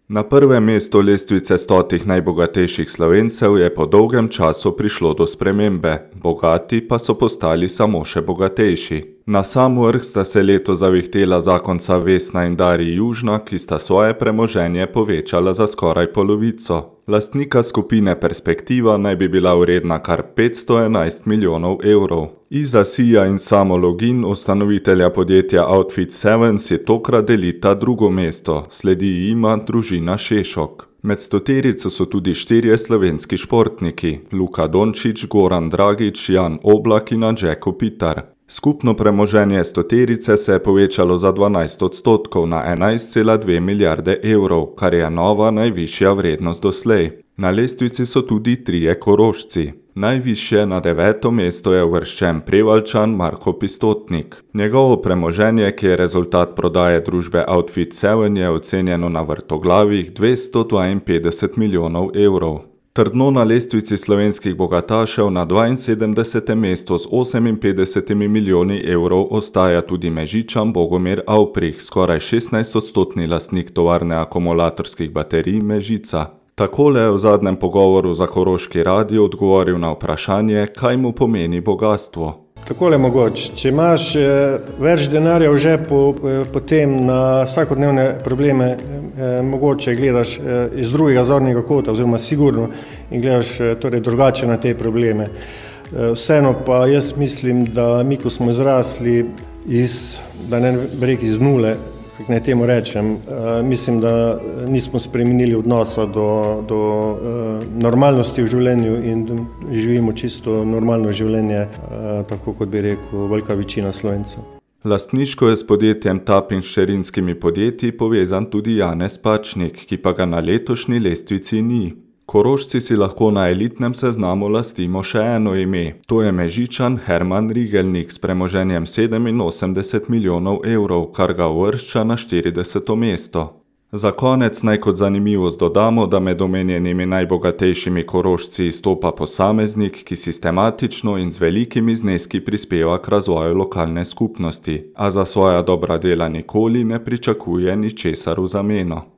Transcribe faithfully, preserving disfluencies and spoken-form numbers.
Na prvem mestu lestvice stotih najbogatejših Slovencev je po dolgem času prišlo do spremembe, bogati pa so postali samo še bogatejši. Na sam vrh sta se letos zavihtela zakonca Vesna in Darij Južna, ki sta svoje premoženje povečala za skoraj polovico. Lastnika skupine Perspektiva naj bi bila vredna kar petsto enajst milijonov evrov. Iza Sija in Samo Login, ustanovitelja podjetja Outfit sedem, si tokrat delita drugo mesto, sledi jima družina Šešok. Med stoterico so tudi štirje slovenski športniki, Luka Dončić, Goran Dragić, Jan Oblak in Anže Kopitar. Skupno premoženje stoterice se je povečalo za dvanajst odstotkov na enajst cela dve milijarde evrov, kar je nova najvišja vrednost doslej. Na lestvici so tudi trije Korošci. Najvišje na deveto mesto je uvrščen Prevaljčan Marko Pistotnik. Njegovo premoženje, ki je rezultat prodaje družbe Outfit sedem, je ocenjeno na vrtoglavih dvesto dvainpetdeset milijonov evrov. Trdno na lestvici slovenskih bogatašev na dvainsedemdesetem mestu z oseminpetdesetimi milijoni evrov ostaja tudi Mežičan Bogomir Avprih, skoraj šestnajstodstotni lastnik tovarne akumulatorskih baterij Mežica. Takole je v zadnjem pogovoru za Koroški radio odgovoril na vprašanje, kaj mu pomeni bogastvo. Takole mogoče, če imaš eh, več denarja v žepu, eh, potem na vsakodnevne probleme eh, mogoče gledaš eh, iz drugega zornega kota, oziroma sigurno in gledaš eh, torej drugače na te probleme. Eh, vseeno pa jaz mislim, da mi, ko smo izrasli iz, da ne bi rekel iz nule, kako naj temu rečem, eh, mislim, da nismo spremenili odnosa do, do eh, normalnosti v življenju in živimo čisto normalno življenje, eh, tako kot bi rekel velika večina Slovencev. Lastniško je s podjetjem Tap in hčerinskimi podjetji povezan tudi Janez Pačnik, ki pa ga na letošnji lestvici ni. Korošci si lahko na elitnem seznamu lastimo še eno ime. To je Mežičan Herman Rigelnik s premoženjem sedeminosemdeset milijonov evrov, kar ga uvršča na štirideseto mesto. Za konec naj kot zanimivost dodamo, da med omenjenimi najbogatejšimi Korošci izstopa posameznik, ki sistematično in z velikimi zneski prispeva k razvoju lokalne skupnosti, a za svoja dobra dela nikoli ne pričakuje ničesar v zameno.